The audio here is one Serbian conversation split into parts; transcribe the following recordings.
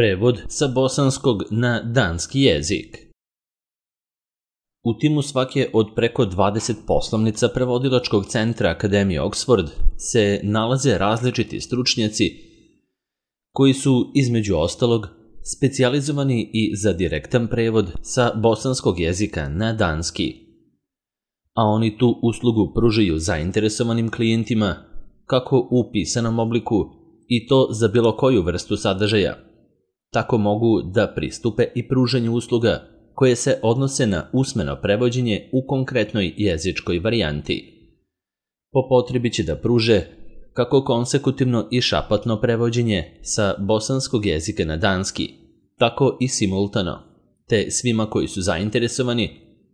Prevod sa bosanskog na danski jezik. U timu svake od preko 20 poslovnica prevodilačkog centra Akademije Oxford se nalaze različiti stručnjaci koji su, između ostalog, specijalizovani i za direktan prevod sa bosanskog jezika na danski. A oni tu uslugu pružaju zainteresovanim klijentima, kako u pisanom obliku i to za bilo koju vrstu sadržaja. Tako mogu da pristupe i pružanju usluga koje se odnose na usmeno prevođenje u konkretnoj jezičkoj varijanti. Po potrebi će da pruže kako konsekutivno i šapatno prevođenje sa bosanskog jezika na danski, tako i simultano, te svima koji su zainteresovani,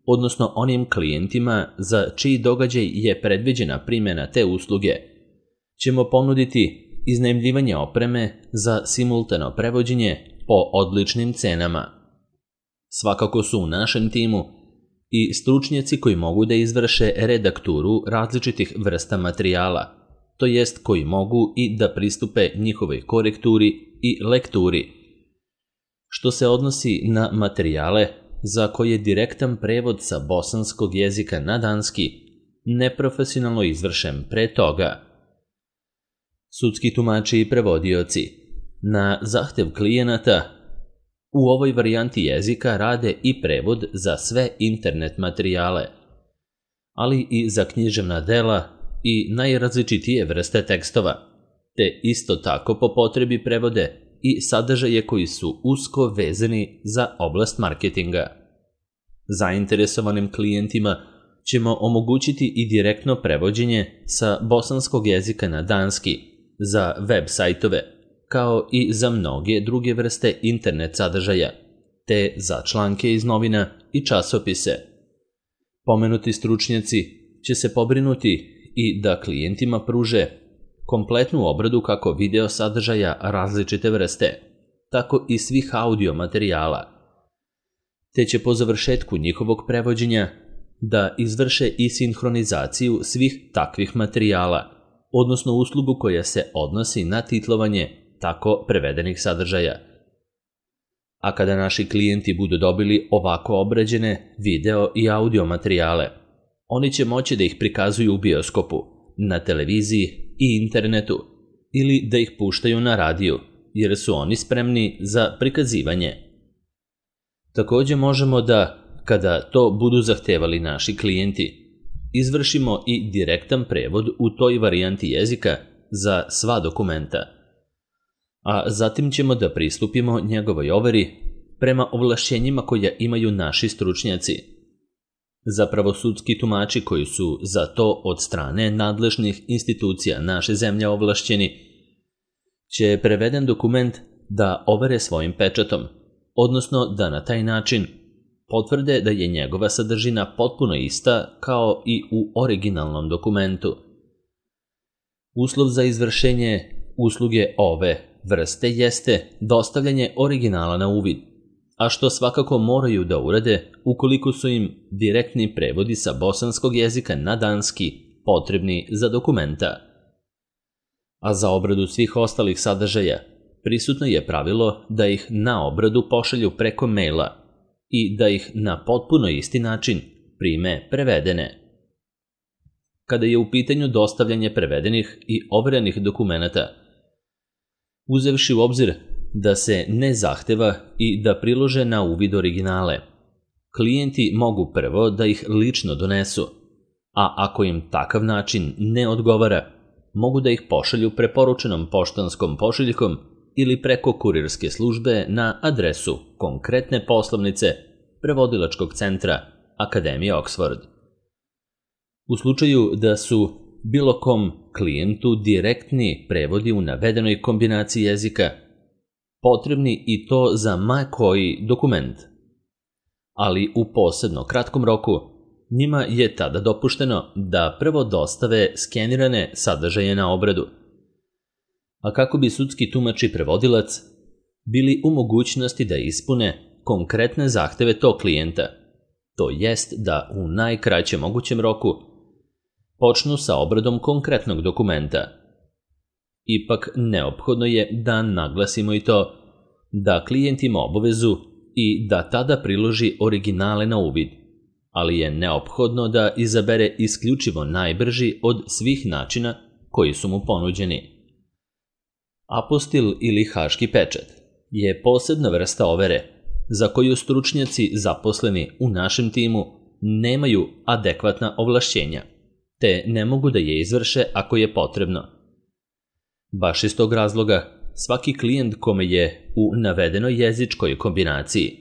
odnosno onim klijentima za čiji događaj je predviđena primjena te usluge, ćemo ponuditi iznajmljivanje opreme za simultano prevođenje po odličnim cenama. Svakako su u našem timu i stručnjaci koji mogu da izvrše redakturu različitih vrsta materijala, to jest koji mogu i da pristupe njihovoj korekturi i lekturi. Što se odnosi na materijale za koje direktan prevod sa bosanskog jezika na danski neprofesionalno izvršen pre toga. Sudski tumači i prevodioci na zahtev klijenata u ovoj varijanti jezika rade i prevod za sve internet materijale, ali i za književna dela i najrazličitije vrste tekstova, te isto tako po potrebi prevode i sadržaje koji su usko vezani za oblast marketinga. Zainteresovanim klijentima ćemo omogućiti i direktno prevođenje sa bosanskog jezika na danski za web sajtove, kao i za mnoge druge vrste internet sadržaja, te za članke iz novina i časopise. Pomenuti stručnjaci će se pobrinuti i da klijentima pruže kompletnu obradu kako video sadržaja različite vrste, tako i svih audio materijala, te će po završetku njihovog prevođenja da izvrše i sinhronizaciju svih takvih materijala, odnosno uslugu koja se odnosi na titlovanje tako prevedenih sadržaja. A kada naši klijenti budu dobili ovako obrađene video i audio materijale, oni će moći da ih prikazuju u bioskopu, na televiziji i internetu ili da ih puštaju na radiju, jer su oni spremni za prikazivanje. Takođe možemo da, kada to budu zahtevali naši klijenti, izvršimo i direktan prevod u toj varijanti jezika za sva dokumenta. A zatim ćemo da pristupimo njegovoj overi prema ovlašćenjima koja imaju naši stručnjaci. Zapravo sudski tumači koji su za to od strane nadležnih institucija naše zemlje ovlašćeni, će preveden dokument da overe svojim pečatom, odnosno da na taj način potvrde da je njegova sadržina potpuno ista kao i u originalnom dokumentu. Uslov za izvršenje usluge ove vrste jeste dostavljanje originala na uvid, a što svakako moraju da urade ukoliko su im direktni prevodi sa bosanskog jezika na danski potrebni za dokumenta. A za obradu svih ostalih sadržaja prisutno je pravilo da ih na obradu pošalju preko maila i da ih na potpuno isti način prime prevedene. Kada je u pitanju dostavljanje prevedenih i overenih dokumenata, uzevši u obzir da se ne zahteva i da prilože na uvid originale, klijenti mogu prvo da ih lično donesu, a ako im takav način ne odgovara, mogu da ih pošalju preporučenom poštanskom pošiljkom ili preko kurirske službe na adresu konkretne poslovnice prevodilačkog centra Akademije Oxford. U slučaju da su bilo kom klijentu direktni prevodi u navedenoj kombinaciji jezika, potrebni i to za ma koji dokument, ali u posebno kratkom roku, njima je tada dopušteno da prvo dostave skenirane sadržaje na obradu. A kako bi sudski tumač i prevodilac bili u mogućnosti da ispune konkretne zahteve tog klijenta, to jest da u najkraćem mogućem roku počnu sa obradom konkretnog dokumenta. Ipak neophodno je da naglasimo i to da klijent ima obavezu i da tada priloži originale na uvid, ali je neophodno da izabere isključivo najbrži od svih načina koji su mu ponuđeni. Apostil ili haški pečat je posebna vrsta overe za koju stručnjaci zaposleni u našem timu nemaju adekvatna ovlašćenja, te ne mogu da je izvrše ako je potrebno. Baš iz tog razloga, svaki klijent kome je u navedenoj jezičkoj kombinaciji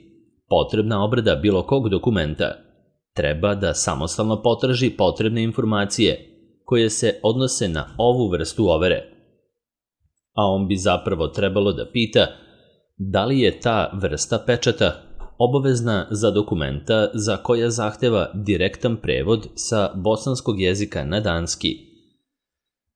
potrebna obrada bilo kog dokumenta treba da samostalno potraži potrebne informacije koje se odnose na ovu vrstu overe. A on bi zapravo trebalo da pita da li je ta vrsta pečata obavezna za dokumenta za koja zahteva direktan prevod sa bosanskog jezika na danski,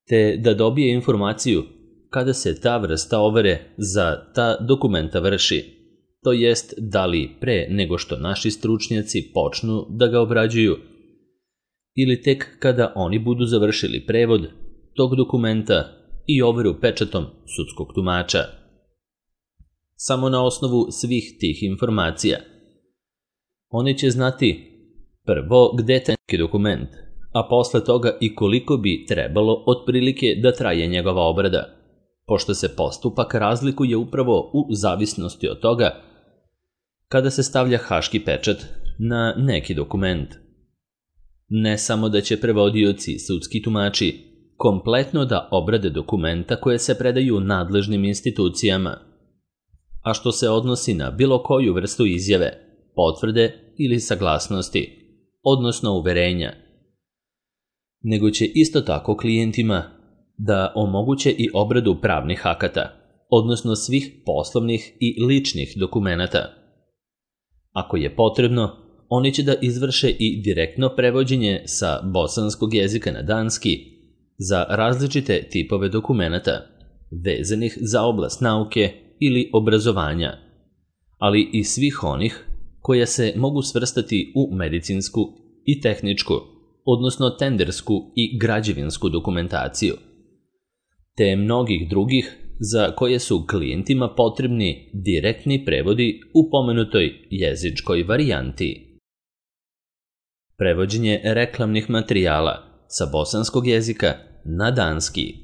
te da dobije informaciju kada se ta vrsta overe za ta dokumenta vrši, to jest da li pre nego što naši stručnjaci počnu da ga obrađuju ili tek kada oni budu završili prevod tog dokumenta i overu pečatom sudskog tumača. Samo na osnovu svih tih informacija oni će znati prvo gde je taj dokument, a posle toga i koliko bi trebalo otprilike da traje njegova obrada, pošto se postupak razlikuje upravo u zavisnosti od toga kada se stavlja haški pečat na neki dokument. Ne samo da će prevodioci, sudski tumači, kompletno da obrade dokumenta koje se predaju nadležnim institucijama, a što se odnosi na bilo koju vrstu izjave, potvrde ili saglasnosti, odnosno uverenja, nego će isto tako klijentima da omoguće i obradu pravnih akata, odnosno svih poslovnih i ličnih dokumenata. Ako je potrebno, oni će da izvrše i direktno prevođenje sa bosanskog jezika na danski za različite tipove dokumenata vezanih za oblast nauke ili obrazovanja, ali i svih onih koja se mogu svrstati u medicinsku i tehničku, odnosno tendersku i građevinsku dokumentaciju, te mnogih drugih za koje su klijentima potrebni direktni prevodi u pomenutoj jezičkoj varijanti. Prevođenje reklamnih materijala sa bosanskog jezika na danski.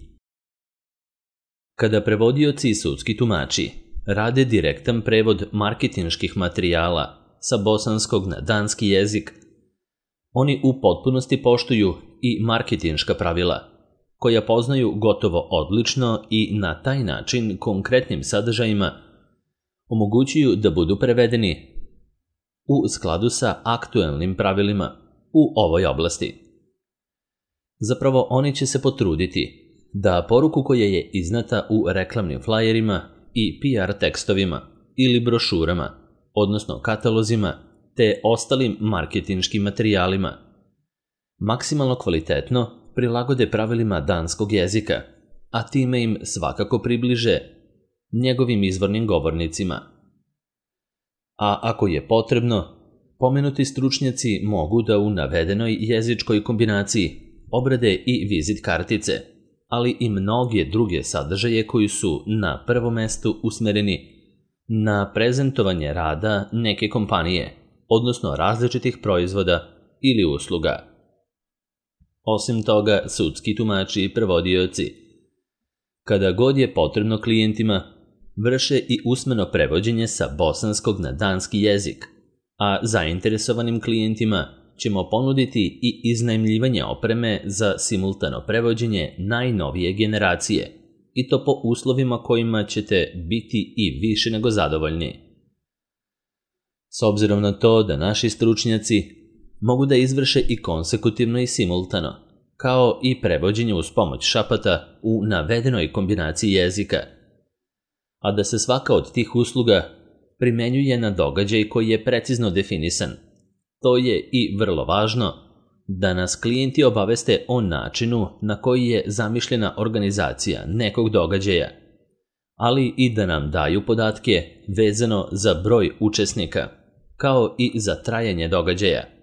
Kada prevodioci i sudski tumači rade direktan prevod marketinških materijala sa bosanskog na danski jezik, oni u potpunosti poštuju i marketinška pravila, koja poznaju gotovo odlično i na taj način konkretnim sadržajima omogućuju da budu prevedeni u skladu sa aktuelnim pravilima u ovoj oblasti. Zapravo, oni će se potruditi da poruku koja je iznata u reklamnim flajerima i PR tekstovima ili brošurama, odnosno katalozima, te ostalim marketinškim materijalima, maksimalno kvalitetno prilagode pravilima danskog jezika, a time im svakako približe njegovim izvornim govornicima. A ako je potrebno, pomenuti stručnjaci mogu da u navedenoj jezičkoj kombinaciji obrade i vizit kartice, ali i mnoge druge sadržaje koji su na prvom mestu usmereni na prezentovanje rada neke kompanije, odnosno različitih proizvoda ili usluga. Osim toga, sudski tumači i prevodioci, kada god je potrebno klijentima, vrše i usmeno prevođenje sa bosanskog na danski jezik, a zainteresovanim klijentima ćemo ponuditi i iznajmljivanje opreme za simultano prevođenje najnovije generacije, i to po uslovima kojima ćete biti i više nego zadovoljni. S obzirom na to da naši stručnjaci mogu da izvrše i konsekutivno i simultano, kao i prevođenje uz pomoć šapata u navedenoj kombinaciji jezika, a da se svaka od tih usluga primenjuje na događaj koji je precizno definisan. To je i vrlo važno da nas klijenti obaveste o načinu na koji je zamišljena organizacija nekog događaja, ali i da nam daju podatke vezano za broj učesnika, kao i za trajanje događaja,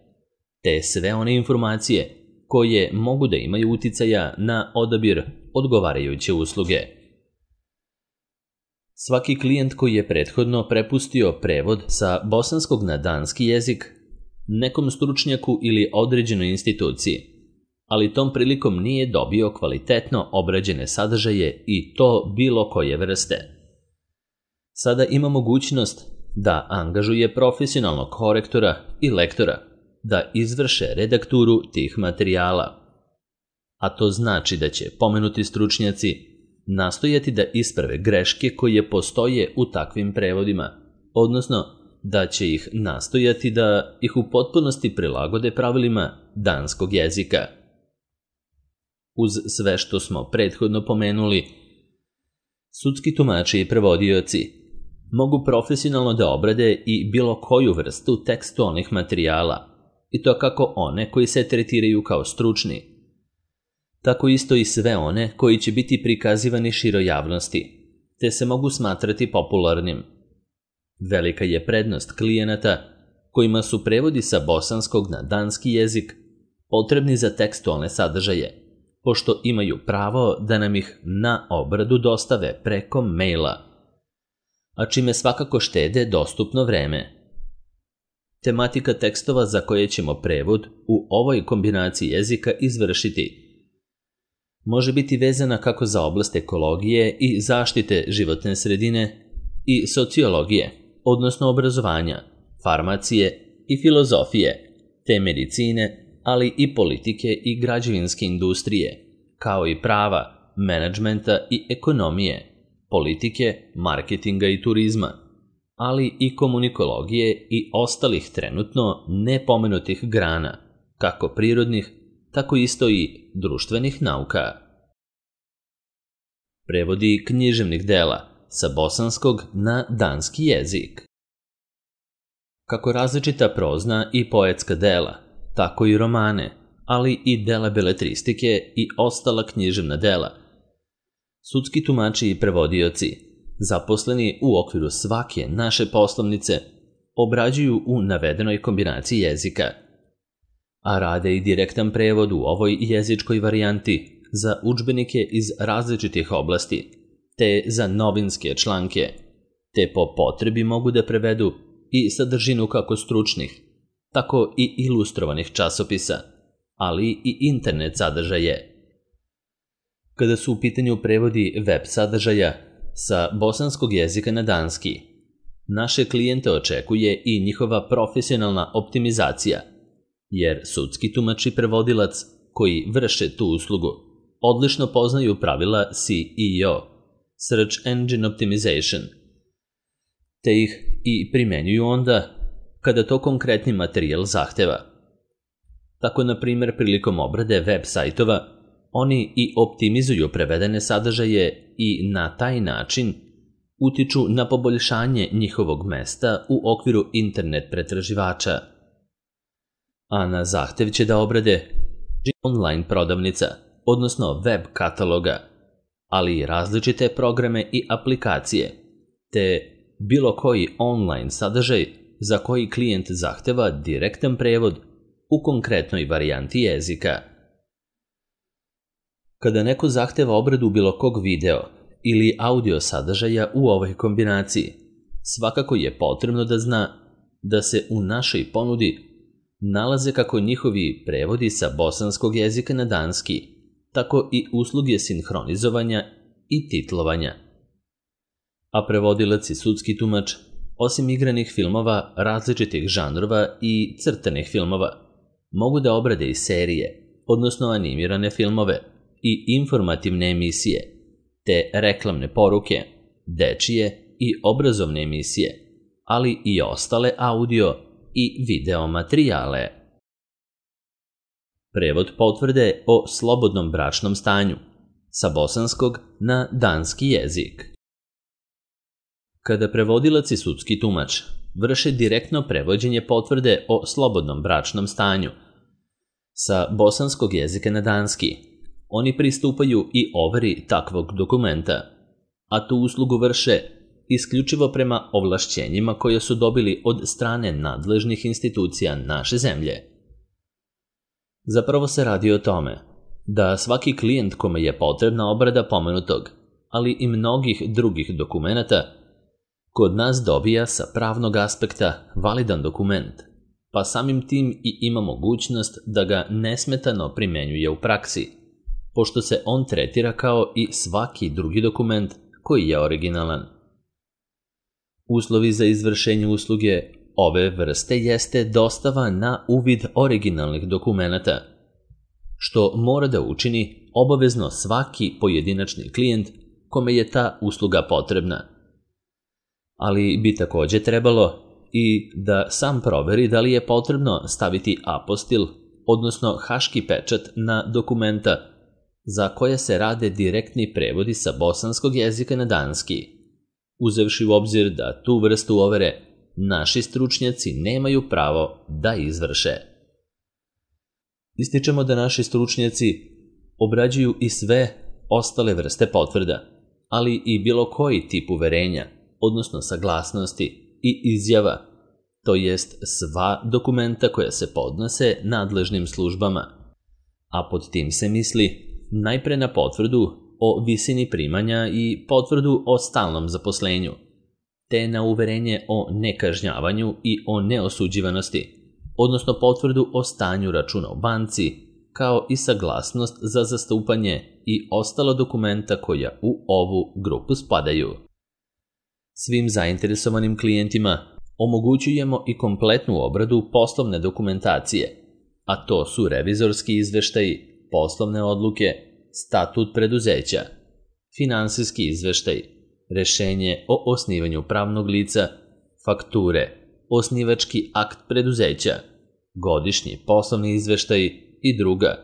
te sve one informacije koje mogu da imaju uticaja na odabir odgovarajuće usluge. Svaki klijent koji je prethodno prepustio prevod sa bosanskog na danski jezik nekom stručnjaku ili određenoj instituciji, ali tom prilikom nije dobio kvalitetno obrađene sadržaje i to bilo koje vrste. Sada ima mogućnost da angažuje profesionalnog korektora i lektora da izvrše redakturu tih materijala. A to znači da će pomenuti stručnjaci nastojati da isprave greške koje postoje u takvim prevodima, odnosno da će ih nastojati da ih u potpunosti prilagode pravilima danskog jezika. Uz sve što smo prethodno pomenuli, sudski tumači i prevodioci mogu profesionalno da obrade i bilo koju vrstu tekstualnih materijala, i to kako one koji se tretiraju kao stručni, tako isto i sve one koji će biti prikazivani široj javnosti, te se mogu smatrati popularnim. Velika je prednost klijenata kojima su prevodi sa bosanskog na danski jezik potrebni za tekstualne sadržaje, pošto imaju pravo da nam ih na obradu dostave preko maila, a čime svakako štede dostupno vreme. Tematika tekstova za koje ćemo prevod u ovoj kombinaciji jezika izvršiti može biti vezana kako za oblast ekologije i zaštite životne sredine i sociologije, odnosno obrazovanja, farmacije i filozofije, te medicine, ali i politike i građevinske industrije, kao i prava, menadžmenta i ekonomije, politike, marketinga i turizma, ali i komunikologije i ostalih trenutno nepomenutih grana, kako prirodnih, tako isto i društvenih nauka. Prevodi književnih dela sa bosanskog na danski jezik. Kako različita prozna i poetska dela, tako i romane, ali i dela beletristike i ostala književna dela. Sudski tumači i prevodioci, zaposleni u okviru svake naše poslovnice, obrađuju u navedenoj kombinaciji jezika, a rade i direktan prevod u ovoj jezičkoj varijanti za udžbenike iz različitih oblasti, te za novinske članke, te po potrebi mogu da prevedu i sadržinu kako stručnih, tako i ilustrovanih časopisa, ali i internet sadržaje. Kada su u pitanju prevodi web sadržaja sa bosanskog jezika na danski, naše klijente očekuje i njihova profesionalna optimizacija, jer sudski tumač i prevodilac koji vrše tu uslugu odlično poznaju pravila SEO, Search Engine Optimization, te ih i primenjuju onda kada to konkretni materijal zahteva. Tako, na primjer, prilikom obrade web sajtova, oni i optimizuju prevedene sadržaje i na taj način utiču na poboljšanje njihovog mesta u okviru internet pretraživača. A na zahtev će da obrade online prodavnica, odnosno web kataloga, ali i različite programe i aplikacije, te bilo koji online sadržaj za koji klijent zahteva direktan prevod u konkretnoj varijanti jezika. Kada neko zahteva obradu bilo kog video ili audio sadržaja u ovoj kombinaciji, svakako je potrebno da zna da se u našoj ponudi nalaze kako njihovi prevodi sa bosanskog jezika na danski, tako i usluge sinhronizovanja i titlovanja. A prevodilac i sudski tumač, osim igranih filmova različitih žanrova i crtanih filmova, mogu da obrade i serije, odnosno animirane filmove i informativne emisije, te reklamne poruke, dečije i obrazovne emisije, ali i ostale audio i video materijale. Prevod potvrde o slobodnom bračnom stanju sa bosanskog na danski jezik. Kada prevodilac i sudski tumač vrše direktno prevođenje potvrde o slobodnom bračnom stanju sa bosanskog jezika na danski, oni pristupaju i overi takvog dokumenta, a tu uslugu vrše isključivo prema ovlašćenjima koje su dobili od strane nadležnih institucija naše zemlje. Zapravo se radi o tome da svaki klijent kome je potrebna obrada pomenutog, ali i mnogih drugih dokumenata, kod nas dobija sa pravnog aspekta validan dokument, pa samim tim i ima mogućnost da ga nesmetano primenjuje u praksi, pošto se on tretira kao i svaki drugi dokument koji je originalan. Uslovi za izvršenje usluge ove vrste jeste dostava na uvid originalnih dokumenata, što mora da učini obavezno svaki pojedinačni klijent kome je ta usluga potrebna. Ali bi takođe trebalo i da sam proveri da li je potrebno staviti apostil, odnosno haški pečat na dokumenta za koje se rade direktni prevodi sa bosanskog jezika na danski, uzevši u obzir da tu vrstu overe naši stručnjaci nemaju pravo da izvrše. Ističemo da naši stručnjaci obrađuju i sve ostale vrste potvrda, ali i bilo koji tip uverenja, odnosno saglasnosti i izjava, to jest sva dokumenta koja se podnose nadležnim službama, a pod tim se misli najpre na potvrdu o visini primanja i potvrdu o stalnom zaposlenju, te na uverenje o nekažnjavanju i o neosuđivanosti, odnosno potvrdu o stanju računa u banci, kao i saglasnost za zastupanje i ostala dokumenta koja u ovu grupu spadaju. Svim zainteresovanim klijentima omogućujemo i kompletnu obradu poslovne dokumentacije, a to su revizorski izveštaji, poslovne odluke, statut preduzeća, finansijski izveštaj, rešenje o osnivanju pravnog lica, fakture, osnivački akt preduzeća, godišnji poslovni izveštaj i druga,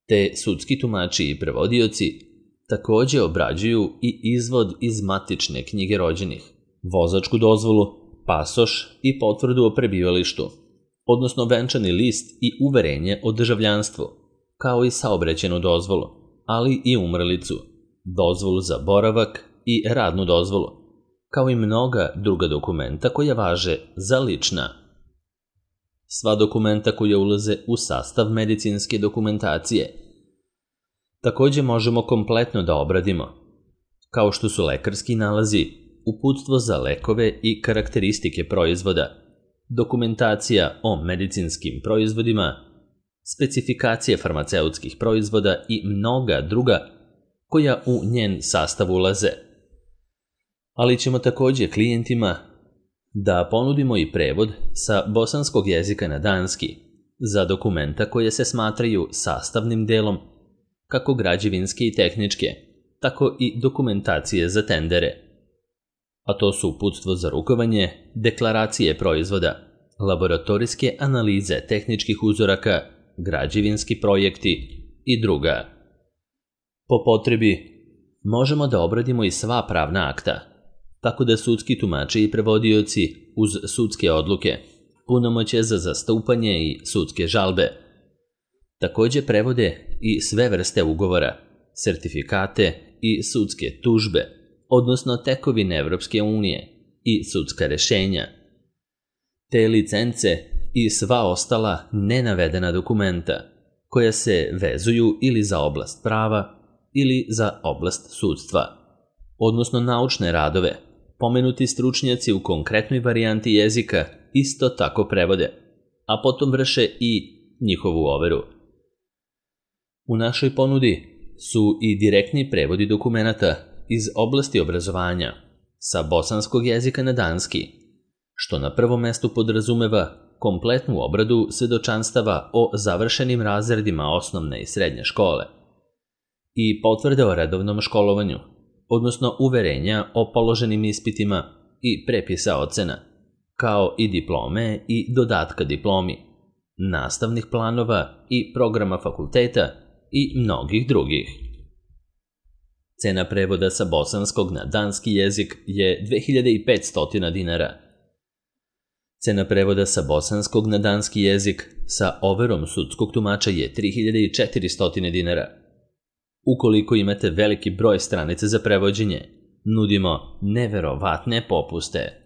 te sudski tumači i prevodioci takođe obrađuju i izvod iz matične knjige rođenih, vozačku dozvolu, pasoš i potvrdu o prebivalištu, odnosno venčani list i uverenje o državljanstvu, kao i saobraćajnu dozvolu, ali i umrlicu, dozvolu za boravak i radnu dozvolu, kao i mnoga druga dokumenta koja važe za lična. Sva dokumenta koja ulaze u sastav medicinske dokumentacije takođe možemo kompletno da obradimo, kao što su lekarski nalazi, uputstvo za lekove i karakteristike proizvoda, dokumentacija o medicinskim proizvodima, specifikacije farmaceutskih proizvoda i mnoga druga koja u njen sastav ulaze. Ali ćemo takođe klijentima da ponudimo i prevod sa bosanskog jezika na danski za dokumenta koje se smatraju sastavnim delom kako građevinske i tehničke, tako i dokumentacije za tendere. A to su uputstvo za rukovanje, deklaracije proizvoda, laboratorijske analize tehničkih uzoraka, građevinski projekti i druga. Po potrebi možemo da obradimo i sva pravna akta, tako da sudski tumači i prevodioci uz sudske odluke, punomoćje za zastupanje i sudske žalbe, takođe prevode i sve vrste ugovora, sertifikate i sudske tužbe, odnosno tekovine Evropske unije i sudska rešenja, te licence i sva ostala nenavedena dokumenta koja se vezuju ili za oblast prava ili za oblast sudstva, odnosno naučne radove. Pomenuti stručnjaci u konkretnoj varijanti jezika isto tako prevode, a potom vrše i njihovu overu. U našoj ponudi su i direktni prevodi dokumenata iz oblasti obrazovanja sa bosanskog jezika na danski, što na prvom mestu podrazumeva kompletnu obradu svedočanstava o završenim razredima osnovne i srednje škole i potvrde o redovnom školovanju, odnosno uverenja o položenim ispitima i prepisa ocena, kao i diplome i dodatka diplomi, nastavnih planova i programa fakulteta i mnogih drugih. Cena prevoda sa bosanskog na danski jezik je 2500 dinara. Cena prevoda sa bosanskog na danski jezik sa overom sudskog tumača je 3400 dinara. Ukoliko imate veliki broj stranica za prevođenje, nudimo neverovatne popuste.